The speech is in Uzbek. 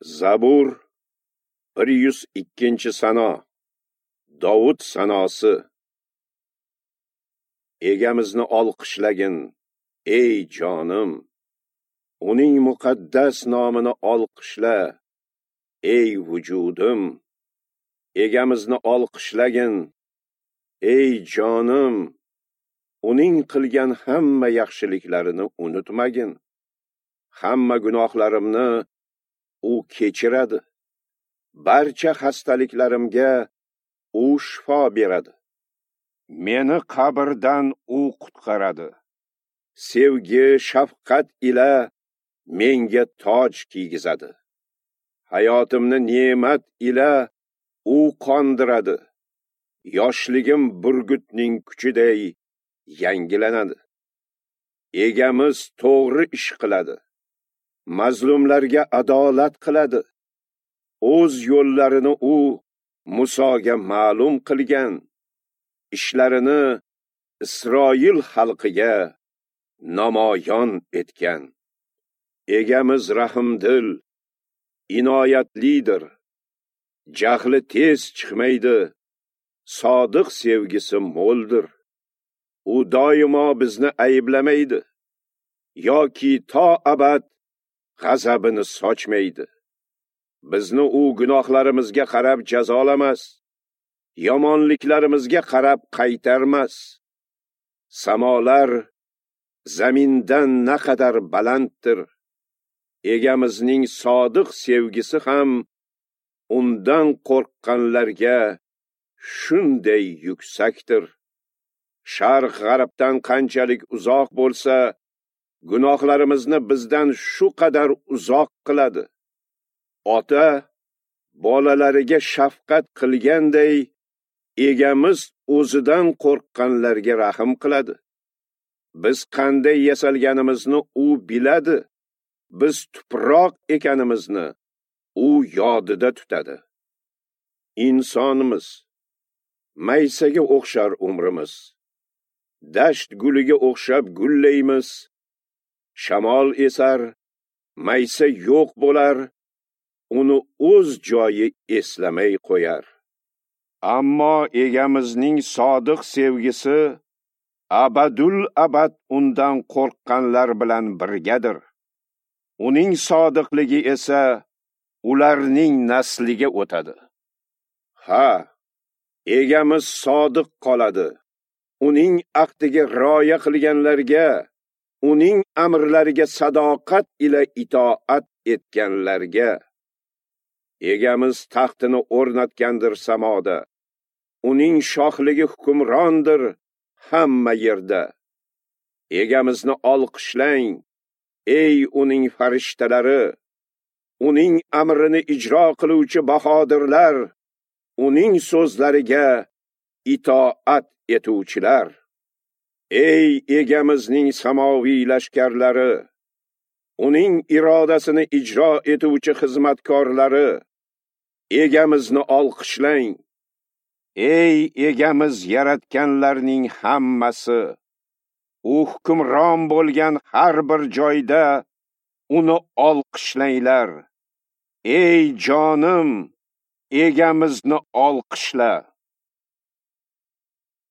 Zabur 102-sano. Dovud sanosi. Egamizni olqishlagin, ey jonim. Uning muqaddas nomini olqishla, ey vujudim. Egamizni olqishlagin, ey jonim. Uning qilgan hamma yaxshiliklarini unutmagin. Hamma gunohlarimni u kechiradi. Barcha xastaliklarimga u shifo beradi. Meni qabrdan u qutqaradi. Sevgi, shafqat ila menga toj kiygizadi. Hayotimni ne'mat ila u qondiradi. Yoshligim burgutning kuchiday yangilanadi. Egamiz to'g'ri ish qiladi. Mazlumlarga adolat qiladi. O'z yo'llarini u Musoga ma'lum qilgan, ishlarini Isroil xalqiga namoyon etgan. Egamiz rahimdil, inoyatlidir. Jahli tez chiqmaydi, sodiq sevgisi mo'ldir. U doimo bizni ayblamaydi yoki to abad g'azabini sochmaydi. Bizni u gunohlarimizga qarab jazolamas, yomonliklarimizga qarab qaytarmas. Samolar zamindan naqadar balanddir. Egamizning sodiq sevgisi ham undan qo'rqqanlarga shunday yuksakdir. Sharq g'arbdan qanchalik uzoq bo'lsa, gunohlarimizni bizdan shu qadar uzoq qiladi. Ota bolalariga shafqat qilganday, egamiz o'zidan qo'rqqanlarga rahm qiladi. Biz qanday yasalganimizni u biladi. Biz tuproq ekanimizni u yodida tutadi. Insonimiz, maysaga o'xshar umrimiz. Dasht guliga o'xshab gullaymiz. Shamol esar, maysa yo'q bo'lar, uni o'z joyi eslamay qo'yar. Ammo egamizning sodiq sevgisi abadul abad undan qo'rqqanlar bilan birgadir. Uning sodiqligi esa ularning nasliga o'tadi. Ha, egamiz sodiq qoladi. Uning ahdiga rioya qilganlarga, uning amrlariga sadoqat ila itoat etganlarga. Egamiz taxtini o'rnatgandir samoda. Uning shohligi hukmrondir hamma yerda. Egamizni olqishlang, ey uning farishtalari, uning amrini ijro qiluvchi bahodirlar, uning so'zlariga itoat etuvchilar. Ey egamizning samoviy lashkarlari, uning irodasini ijro etuvchi xizmatkorlari, egamizni olqishlang. Ey egamiz yaratganlarning hammasi, u hukmron bo'lgan har bir joyda uni olqishlanglar. Ey jonim, egamizni olqishla.